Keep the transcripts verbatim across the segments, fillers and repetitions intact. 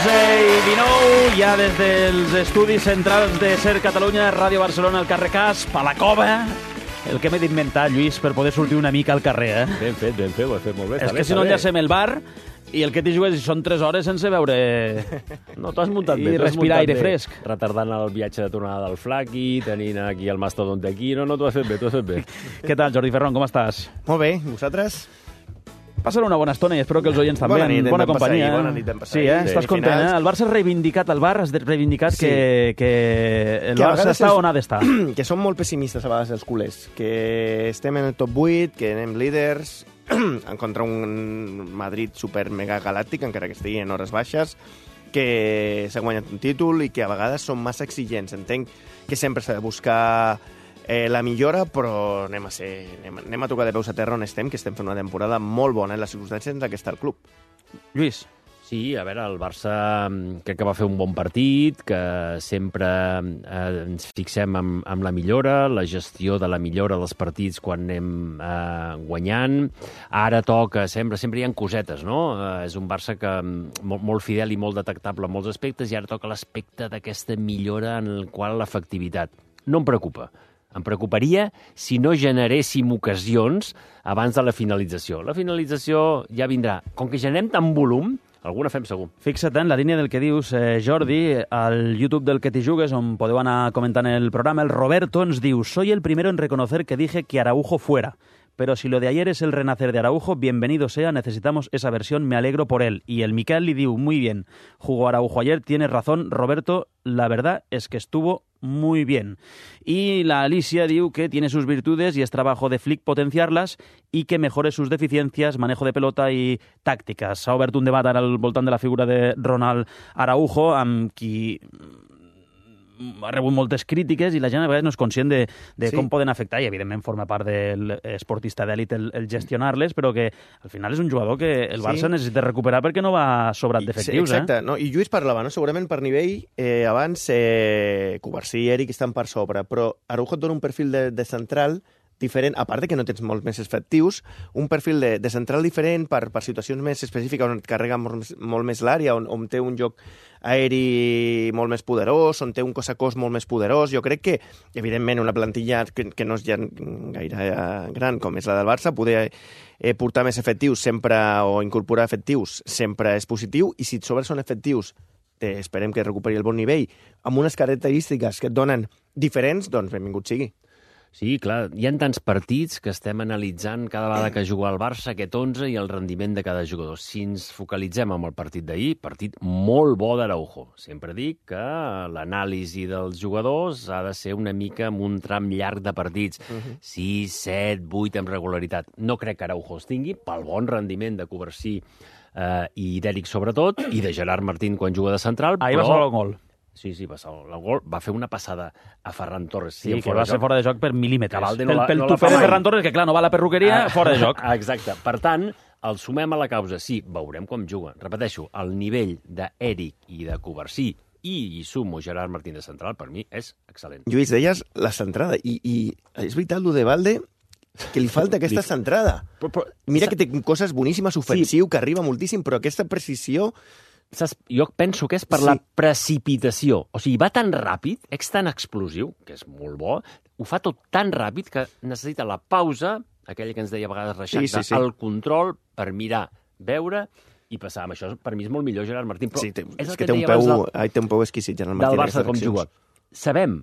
onze i dinou, ja des dels estudis centrals de Ser Catalunya, Ràdio Barcelona, al carrer Casp, a la Cova. El que m'he d'inventar, Lluís, per poder sortir una mica al carrer, eh? Ben fet, ben fet, ho he fet molt bé. És que si no enllacem el bar i el que t'hi jugues són tres hores sense veure... No, t'ho has muntat I bé. respirar aire fresc. Retardant el viatge de tornada del Flaqui, tenint aquí el mastodonte aquí... No, no, t'ho has fet bé, t'ho has fet bé. Què tal, Jordi Ferron, com estàs? Molt bé, vosaltres? Passar una bona estona i espero que els oients també, Bona nit, en hem bona de passar companyia. ahir, bona nit, hem passat Sí, eh? ahir. Estàs Sí, content, finals. eh? El Barça ha reivindicat, el Bar has reivindicat Sí. que, que el Que a Barça vegades està és- on ha d'estar. Que som molt pessimistes a vegades els culers, que estem en el top vuit, que anem líders contra un Madrid super mega galàctic, encara que estigui en hores baixes, que s'ha guanyat un títol i que a vegades són massa exigents. Entenc que sempre s'ha de buscar eh, la millora, però anem a, ser, anem, anem a tocar de peus a terra on estem, que estem fent una temporada molt bona en les circumstàncies en què està el club. Lluís. Sí, a veure, el Barça mm, crec que va fer un bon partit, que sempre eh, ens fixem en, en la millora, la gestió de la millora dels partits quan anem eh, guanyant. Ara toca, sempre, sempre hi ha cosetes, no? Eh, és un Barça que mm, molt, molt fidel i molt detectable en molts aspectes, i ara toca l'aspecte d'aquesta millora en el qual l'efectivitat. No em preocupa. Em preocuparia si no generéssim ocasions abans de la finalització. La finalització ja vindrà. Com que generem tant volum, alguna fem segur. Fixa't en la línia del que dius, eh, Jordi, al YouTube del que t'hi jugues, on podeu anar comentant el programa, el Roberto ens diu: soy el primero en reconocer que dije que Araujo fuera. Pero si lo de ayer es el renacer de Araujo, bienvenido sea, necesitamos esa versión, me alegro por él. Y el Miquel le diu, muy bien, jugó Araujo ayer, tienes razón, Roberto, la verdad es que estuvo muy bien. Y la Alicia diu que tiene sus virtudes y es trabajo de Flick potenciarlas y que mejore sus deficiencias, manejo de pelota y tácticas. S'ha obert un debat ara al voltant de la figura de Ronald Araujo, amb qui ha rebut moltes crítiques i la gent a vegades no és conscient de, de Sí. com poden afectar, i evidentment forma part del esportista d'èlit el, el gestionar-les, però que al final és un jugador que el Barça Sí. necessita recuperar perquè no va sobrat d'efectius. Exacte, Eh? no? I Lluís parlava, no? Segurament per nivell, eh, abans eh, Covarsí i Eric estan per sobre, però Araujo et dona un perfil de, de central diferent, a part de que no tens molts més efectius, un perfil de, de central diferent per, per situacions més específiques on et carrega molt, més- molt més l'àrea, on, on té un joc aeri molt més poderós, on té un cos a cos molt més poderós. Jo crec que, evidentment, una plantilla que, que no és ja gaire eh, gran com és la del Barça, poder eh, portar més efectius sempre o incorporar efectius sempre és positiu, i si et sobre són efectius eh, esperem que recuperi el bon nivell, amb unes característiques que et donen diferents, doncs benvingut sigui. Sí, clar, hi ha tants partits que estem analitzant cada vegada que juga el Barça aquest onze i el rendiment de cada jugador. Si ens focalitzem en el partit d'ahir, partit molt bo d'Araujo. Sempre dic que l'anàlisi dels jugadors ha de ser una mica amb un tram llarg de partits. Uh-huh. sis, set, vuit amb regularitat. No crec que Araujo els tingui, pel bon rendiment de Covarsí eh, i d'Eric sobretot, i de Gerard Martín quan juga de central, Ahir va però... salvar el gol. Sí, sí, va salvar el gol. Va fer una passada a Ferran Torres. Sí, en que fora va de ser joc. fora de joc per mil·límetres. Que Valde no pel la- pel no la tupé fa de mai. Ferran Torres, que clar, no va a la perruqueria, Ah, fora de joc. ah, Exacte. Per tant, el sumem a la causa. Sí, veurem com juga. Repeteixo, el nivell d'Eric i de Covarsí i hi sumo Gerard Martín de central, per mi és excel·lent. Lluís, deies la centrada, i, i és veritat, lo de Valde, que li falta aquesta centrada. Però, però, Mira que té coses boníssimes, ofensiu, que arriba moltíssim, però aquesta precisió... saps, jo penso que és per Sí. la precipitació. O sigui, va tan ràpid, és tan explosiu, que és molt bo, ho fa tot tan ràpid que necessita la pausa, aquella que ens deia a vegades Reixac, Sí, sí, sí. el control per mirar, veure i passar. Amb això, per mi, és molt millor Gerard Martín. Però Sí, té, és és el que et té un, deia abans peu, del- ai, té un peu exquisit, Gerard del Martín. Barça com aquestes juga. accions. Sabem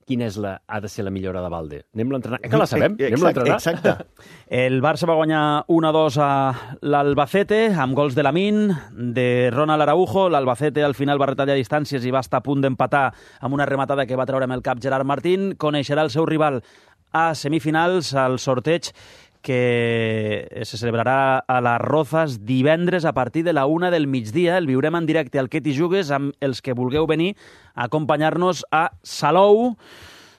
quina és la, ha de ser la millora de Valde. Anem-la a entrenar. Eh que la sabem? Anem-la a Exacte, entrenar. exacte. El Barça va guanyar un a dos a l'Albacete, amb gols de Lamine, de Ronald Araujo. L'Albacete al final va retallar distàncies i va estar a punt d'empatar amb una rematada que va treure amb el cap Gerard Martín. Coneixerà el seu rival a semifinals, al sorteig que se celebrarà a les Rozas divendres a partir de la una del migdia. El viurem en directe al Que t'hi jugues amb els que vulgueu venir a acompanyar-nos a Salou,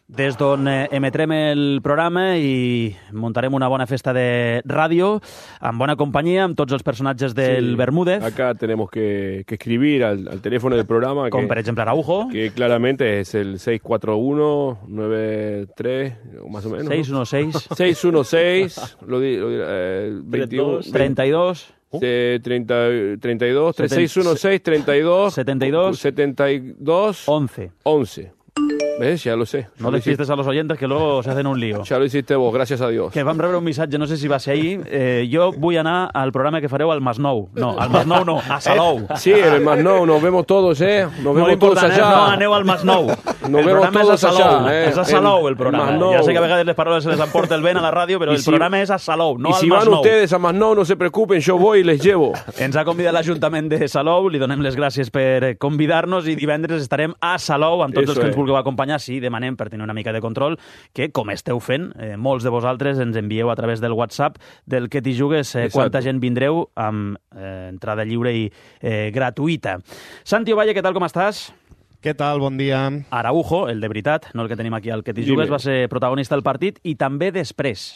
des d'on eh, emetrem el programa i muntarem una bona festa de ràdio, amb bona companyia, amb tots els personatges del Sí, Bermúdez, Acá tenemos que, que escribir al, al teléfono del programa, com que, per exemple Araujo, que claramente es el seis cuatro uno nueve tres, o más o menos. seis uno seis, seis uno seis, lo di, lo di- eh, veintiuno, treinta y dos, treinta, treinta y dos, seis uno seis, treinta y dos, setenta y dos, setenta y dos, once. once. ¿Ves? Ya lo sé. No despistes a los oyentes que luego se hacen un lío. Ja lo hiciste vos, gràcies a Dios. Que vam rebre un missatge, no sé si va ser ahir. Eh, jo vull anar al programa que fareu al Masnou. No, al Masnou no, a Salou. Sí, en el Masnou, nos vemos todos, ¿eh? Nos vemos todos allá. No aneu al Masnou. Nos el vemos todos és a Salou, allá, eh? És a Salou el programa. El ja sé que a vegades les paraules se les emporta el vent a la ràdio, però y el si, programa és a Salou, no y al si Masnou. van ustedes a Masnou, no se preocupen, yo voy y les llevo. Ens ha convidat l'Ajuntament de Salou, li donem les gràcies per convidar-nos i divendres estarem a Salou amb tots Eso els que ens es. vulgueu acompanyar. Sí, demanem per tenir una mica de control que, com esteu fent, eh, molts de vosaltres ens envieu a través del WhatsApp del Que t'hi jugues eh, quanta gent vindreu amb eh, entrada lliure i eh, gratuïta. Santi Ovalle, què tal, com estàs? Què tal? Bon dia. Araujo, el de veritat, no el que tenim aquí al Que t'hi Dime. jugues, va ser protagonista del partit i també després.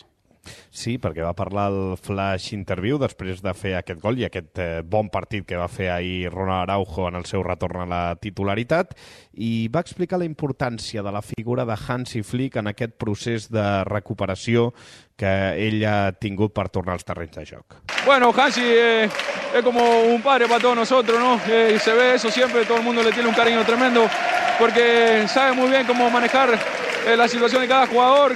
Sí, perquè va parlar al Flash Interview després de fer aquest gol i aquest eh, bon partit que va fer ahir Ronald Araujo en el seu retorn a la titularitat i va explicar la importància de la figura de Hansi Flick en aquest procés de recuperació que ell ha tingut per tornar als terrenys de joc. Bueno, Hansi eh, es como un padre para todos nosotros, ¿no? Eh, y se ve eso siempre, todo el mundo le tiene un cariño tremendo porque sabe muy bien cómo manejar eh, la situación de cada jugador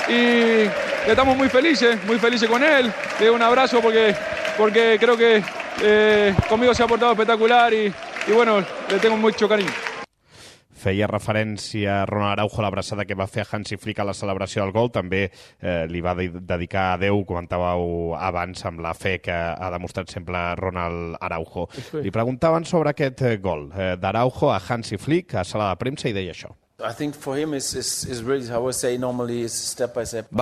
y estamos muy felices, muy felices con él. Le doy un abrazo porque, porque creo que eh, conmigo se ha portado espectacular y, y bueno, le tengo mucho cariño. Feia referència a Ronald Araujo a l'abraçada que va fer a Hansi Flick a la celebració del gol. També eh, li va de dedicar a Déu, comentàveu abans, amb la fe que ha demostrat sempre Ronald Araujo. Li preguntaven sobre aquest eh, gol eh, d'Araujo a Hansi Flick a sala de premsa i deia això. Va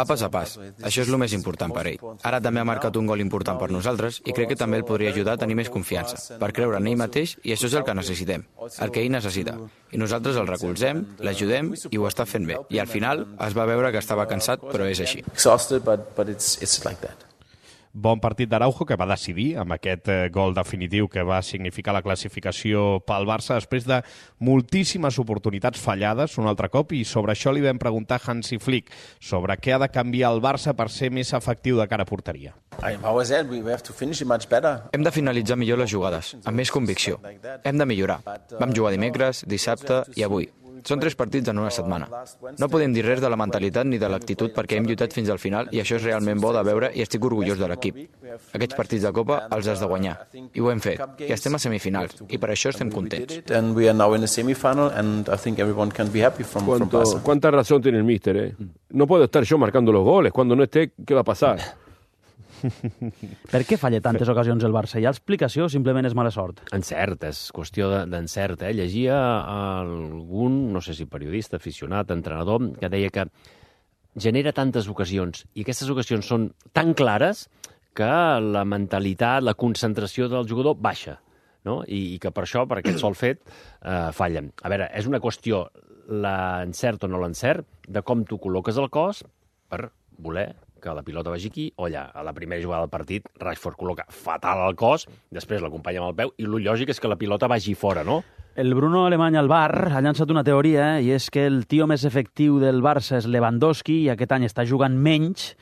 pas a pas. Això és el més important per ell. Ara també ha marcat un gol important per nosaltres i crec que també el podria ajudar a tenir més confiança, per creure en ell mateix, i això és el que necessitem, el que ell necessita. I nosaltres el recolzem, l'ajudem i ho està fent bé. I al final es va veure que estava cansat, però és així. Bon partit d'Araujo que va decidir amb aquest eh, gol definitiu que va significar la classificació pel Barça després de moltíssimes oportunitats fallades un altre cop, i sobre això li vam preguntar a Hansi Flick sobre què ha de canviar el Barça per ser més efectiu de cara a porteria. Hem de finalitzar millor les jugades, amb més convicció. Hem de millorar. Vam jugar dimecres, dissabte i avui. Són tres partits en una setmana. No podem dir res de la mentalitat ni de l'actitud perquè hem lluitat fins al final i això és realment bo de veure i estic orgullós de l'equip. Aquests partits de Copa els has de guanyar. I ho hem fet. I estem a semifinals i per això estem contents. ¿Cuánto, ¿Cuánta razón tiene el míster, eh? No puedo estar yo marcando los goles. Cuando no esté, ¿qué va a pasar? Per què falla tantes ocasions el Barça? Hi ha explicació o simplement és mala sort? Encert, és qüestió d'encert. Eh? Llegia algun, no sé si periodista, aficionat, entrenador, que deia que genera tantes ocasions i aquestes ocasions són tan clares que la mentalitat, la concentració del jugador baixa, no? I, i que per això, per aquest sol fet, eh, fallen. A veure, és una qüestió, l'encert o no l'encert, de com tu col·loques el cos per voler que la pilota vagi aquí o allà. A la primera jugada del partit, Rashford col·loca fatal el cos, després l'acompanya amb el peu, i el lògic és que la pilota vagi fora, no? El Bruno Alemany al bar ha llançat una teoria, eh? I és que el tio més efectiu del Barça és Lewandowski i aquest any està jugant menys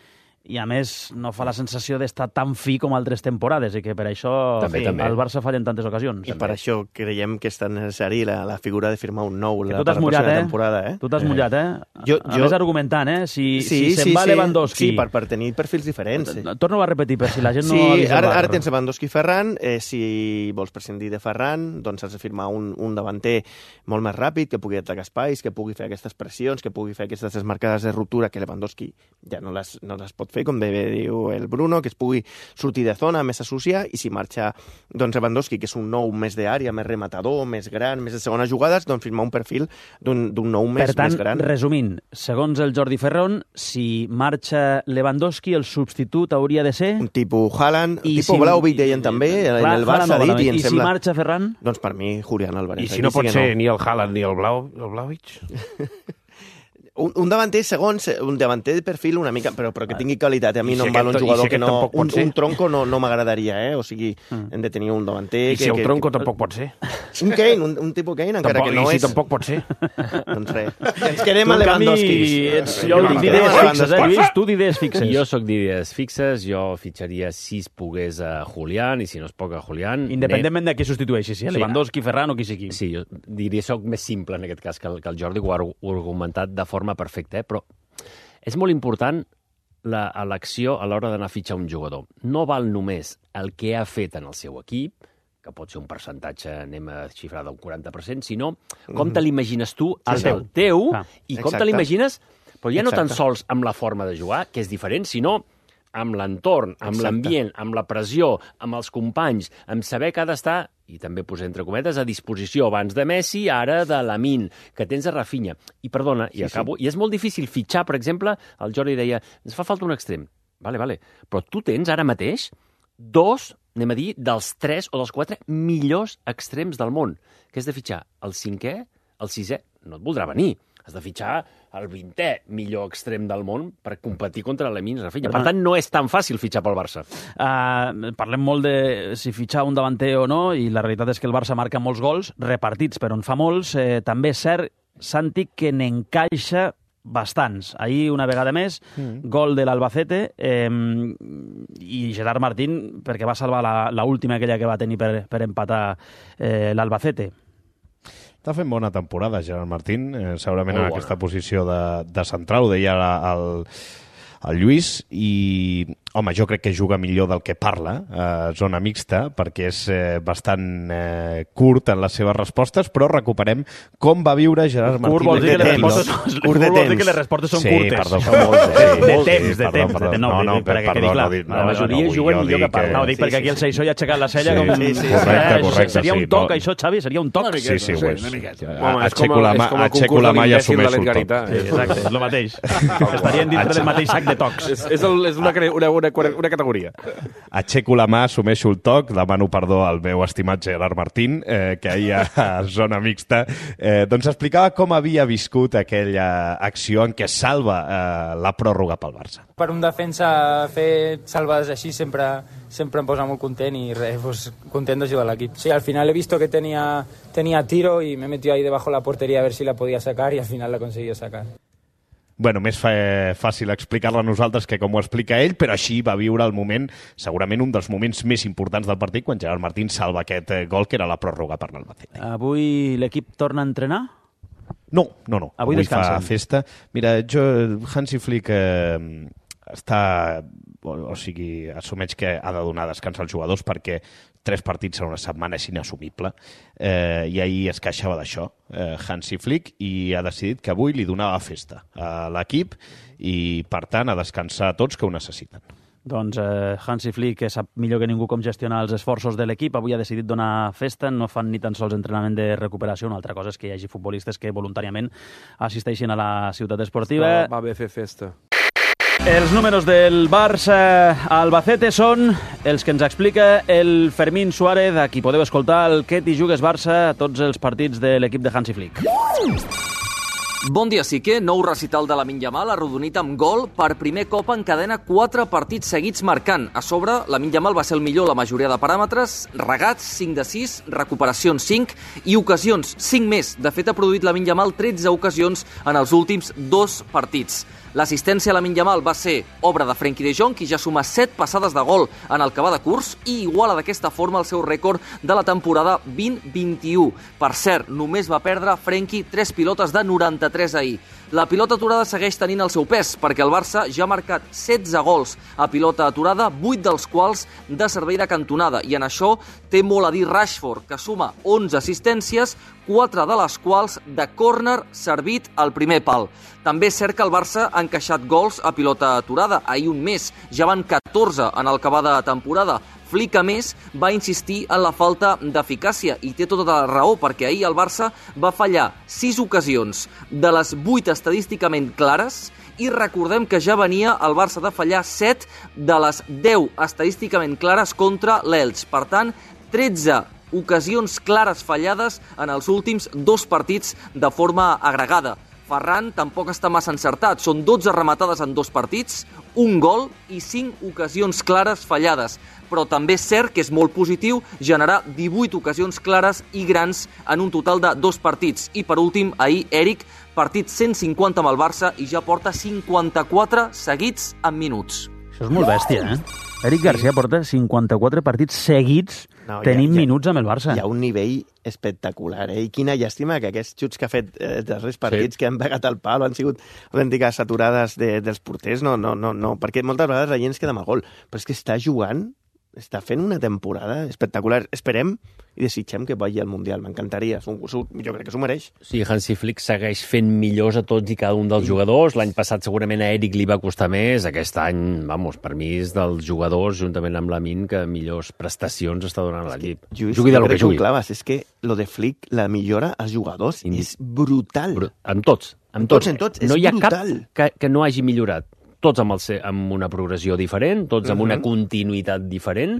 i, a més, no fa la sensació d'estar tan fi com altres temporades i que per això també, fi, també. el Barça falla en tantes ocasions. I per això creiem que és tan necessari la, la figura de firmar un nou Que la, tu t'has per la mullat, pròxima eh? temporada. Eh? Tu t'has mullat, eh? Jo- a jo- més, argumentant, eh? Si, Sí, si se'n sí, va sí. Lewandowski... Sí, per, per tenir perfils diferents. Sí. Torno a repetir, per si la gent no Sí, ha vist el ara, bar. ara tens Lewandowski i Ferran. Eh, si vols prescindir de Ferran, doncs has de firmar un, un davanter molt més ràpid, que pugui atacar espais, que pugui fer aquestes pressions, que pugui fer aquestes desmarcades de ruptura que Lewandowski ja no les, no les pot fer, com bé diu el Bruno, que es pugui sortir de zona, més associar, i si marxa doncs Lewandowski, que és un nou més d'àrea, més rematador, més gran, més de segones jugades, doncs firmar un perfil d'un nou més, Per tant, més gran. resumint, segons el Jordi Ferrón, si marxa Lewandowski, el substitut hauria de ser... Un tipus Haaland, un I tipus si- Vlahovic deien també, en Clar, el Barça Haaland ha dit, i em I si sembla... marxa Ferran? Doncs per mi, Julián Álvarez. I si Aquí no pot sí que ser ni el Haaland ni el Blau, el Blauvic? Un, un davanter, segons, un davanter de perfil una mica, però, però que tingui qualitat. A mi I no si em val un aquest- i jugador si que aquest no... tampoc pot Un, ser? un tronco no, no m'agradaria, eh? O sigui, hem de tenir un davanter... I si que, el que, tronco que, tampoc pot ser? Un Kane, un, un tipus Kane, encara tampoc, que no i és... si tampoc pot ser. Doncs res. Ens quedem a Lewandowski. Jo tinc d'idees fixes, eh, Lluís? Tu d'idees fixes. Jo sóc d'idees fixes, jo fitxaria si es pogués a Julián, i si no es pot a Julián... Independentment de qui substitueixi, si Lewandowski, Ferran o qui sigui. Sí, jo diria soc més simple en aquest cas que el, que el Jordi, ho ha argumentat de forma perfecta, eh? Però és molt important l'elecció a l'hora d'anar a fitxar un jugador. No val només el que ha fet en el seu equip, que pot ser un percentatge, anem a xifrar d'un quaranta per cent, sinó com te l'imagines tu, el Sí, sí. teu, teu Ah, i com exacte. te l'imagines, però ja no tan Exacte. sols amb la forma de jugar, que és diferent, sinó amb l'entorn, amb Exacte. l'ambient, amb la pressió, amb els companys, amb saber que ha d'estar, i també posar entre cometes, a disposició abans de Messi, ara de Lamine, que tens a Rafinha. I perdona, i Sí, acabo, i és molt difícil fitxar, per exemple, el Jordi deia, ens fa falta un extrem. Vale, vale. Però tu tens ara mateix dos, anem a dir, dels tres o dels quatre millors extrems del món, que és de fitxar el cinquè, el sisè, no et voldrà venir. Has de fitxar el vintè millor extrem del món per competir contra l'Lamine Rafinha. Per tant, no és tan fàcil fitxar pel Barça. Uh, parlem molt de si fitxar un davanter o no, i la realitat és que el Barça marca molts gols, repartits per on fa molts. Eh, també és cert, Santi, que n'encaixa bastants. Ahir, una vegada més, mm. gol de l'Albacete eh, i Gerard Martín, perquè va salvar la, la última aquella que va tenir per, per empatar eh, l'Albacete. Està fent bona temporada, Gerard Martín, eh, segurament Molt en bona. aquesta posició de, de central, ho deia el, el Lluís, i home, jo crec que juga millor del que parla a eh, zona mixta, perquè és eh, bastant eh, curt en les seves respostes, però recuperem com va viure Gerard Martín. Curt vol dir que les temps. respostes, Curt de vol dir temps. que les respostes són sí, curtes. perdó, són molts, sí, de molts, temps, sí, de perdó, temps. perdó. de- No, no, no, dic, perquè perdó, quedi clar. no, dic- La no, majoria no, juguen jo millor dic que parlen. No, ho dic Sí, perquè sí, aquí el sí. Seixó ja ha aixecat la cella Sí, com... sí, sí, correcte, Eh, correcte, Seria sí, un toc, no. això, Xavi? Seria un toc? Sí, sí, ho és. Home, és Aixeco com, la a, mà, és com el aixeco concurs la de mà i l'imbècil de assumeixo el l'Edgarita. toc. Sí, exacte, és el mateix. Estarien dintre del mateix sac de tocs. És, és, el, és una, cre- una, una, una categoria. Aixeco la mà, assumeixo el toc, demano perdó al meu estimat Gerard Martín, eh, que ahir a zona mixta eh, doncs explicava com havia viscut aquella acció en què salva eh, la pròrroga pel Barça. Per un defensa fer salvades així sempre, sempre em posa molt content i res, pues, content d'ajudar a l'equip. Sí, al final he visto que tenía, tenía tiro y me he metido ahí debajo de la portería a ver si la podía sacar y al final la he conseguido sacar. Bueno, més fa, fàcil explicar-la a nosaltres que com ho explica ell, però així va viure el moment, segurament un dels moments més importants del partit, quan Gerard Martín salva aquest eh, gol, que era la pròrroga per l'Albacete. Avui l'equip torna a entrenar? No, no, no. Avui Avui fa descansen. festa. Mira, jo, Hansi Flick eh, està... O, o sigui, assumeix que ha de donar descans als jugadors perquè tres partits en una setmana és inassumible. Eh, I ahir es queixava d'això, eh, Hansi Flick, i ha decidit que avui li donava festa a l'equip i, per tant, a descansar a tots que ho necessiten. Doncs eh, Hansi Flick, que sap millor que ningú com gestionar els esforços de l'equip, avui ha decidit donar festa, no fan ni tan sols entrenament de recuperació, una altra cosa és que hi hagi futbolistes que voluntàriament assisteixin a la ciutat esportiva. Va, va bé fer festa. Els números del Barça Albacete són els que ens explica el Fermín Suárez, a qui podeu escoltar el Que t'hi jugues Barça a tots els partits de l'equip de Hansi Flick. Bon dia, Sique. Nou recital de Lamine Yamal, arrodonit amb gol. Per primer cop encadena quatre partits seguits marcant. A sobre, Lamine Yamal va ser el millor a la majoria de paràmetres. Regats, cinc de sis, recuperacions, cinc, i ocasions, cinc més. De fet, ha produït Lamine Yamal tretze ocasions en els últims dos partits. L'assistència a Lamine Yamal va ser obra de Frenkie de Jong, qui ja suma set passades de gol en el que va de curs i iguala d'aquesta forma el seu rècord de la temporada vint vint-i-u. Per cert, només va perdre Frenkie tres pilotes de noranta-tres ahir. La pilota aturada segueix tenint el seu pes, perquè el Barça ja ha marcat setze gols a pilota aturada, vuit dels quals de servei de cantonada, i en això té molt a dir Rashford, que suma onze assistències, quatre de les quals de córner servit al primer pal. També és cert que el Barça ha encaixat gols a pilota aturada, ahir un més, ja van catorze en el que va de temporada. Flick, a més, va insistir en la falta d'eficàcia i té tota la raó, perquè ahir el Barça va fallar sis ocasions de les vuit estadísticament clares i recordem que ja venia el Barça de fallar set de les deu estadísticament clares contra l'Elx. Per tant, tretze ocasions clares fallades en els últims dos partits de forma agregada. Ferran tampoc està massa encertat. Són dotze rematades en dos partits, un gol i cinc ocasions clares fallades. però també és cert que és molt positiu generar divuit ocasions clares i grans en un total de dos partits. I per últim, ahir, Eric, partit cent cinquanta amb el Barça i ja porta cinquanta-quatre seguits en minuts. Això és molt bèstia, eh? Eric Garcia porta cinquanta-quatre partits seguits no, tenint ja, ja, minuts amb el Barça. Hi ha un nivell espectacular, eh? I quina llàstima que aquests xuts que ha fet eh, dels darrers partits sí. que han pegat al pal han sigut autèntiques aturades de, dels porters, no, no, no, no, perquè moltes vegades la gent es queda amb el gol, però és que està jugant, està fent una temporada espectacular. Esperem i desitgem que vagi al Mundial, m'encantaria, jo crec que s'ho mereix. Sí, Hansi Flick segueix fent millors a tots i cada un dels sí. jugadors. L'any passat segurament a Eric li va costar més, aquest any, vamos, per mi és dels jugadors, juntament amb Lamin, que millors prestacions està donant a l'equip. Jugui del que jugui. Claves, és que lo de Flick, la millora als jugadors, sí. és brutal. Bru amb tots, amb tots. En tots, és no hi ha brutal. cap que, que no hagi millorat. Tots amb, el, amb una progressió diferent, tots amb uh -huh. una continuïtat diferent,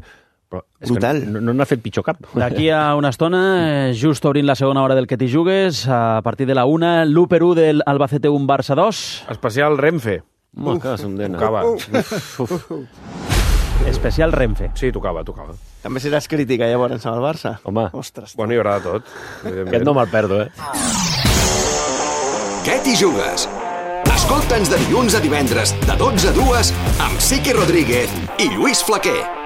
però és brutal. Que no n'ha fet pitjor cap. D'aquí a una estona, just obrint la segona hora del Que t'hi jugues, a partir de la una, l'u per u del Albacete un Barça dos. Especial Renfe. Home, que s'ondena. Tocava. Uf, uf. Especial Renfe. Sí, tocava, tocava. També seràs crítica llavors amb el Barça? Home. Ostres. Bueno, hi haurà de tot. Aquest no me'l perdo, eh? Què t'hi jugues? Escolta'ns de dilluns a divendres, de dotze a dues, amb Siqui Rodríguez i Lluís Flaquer.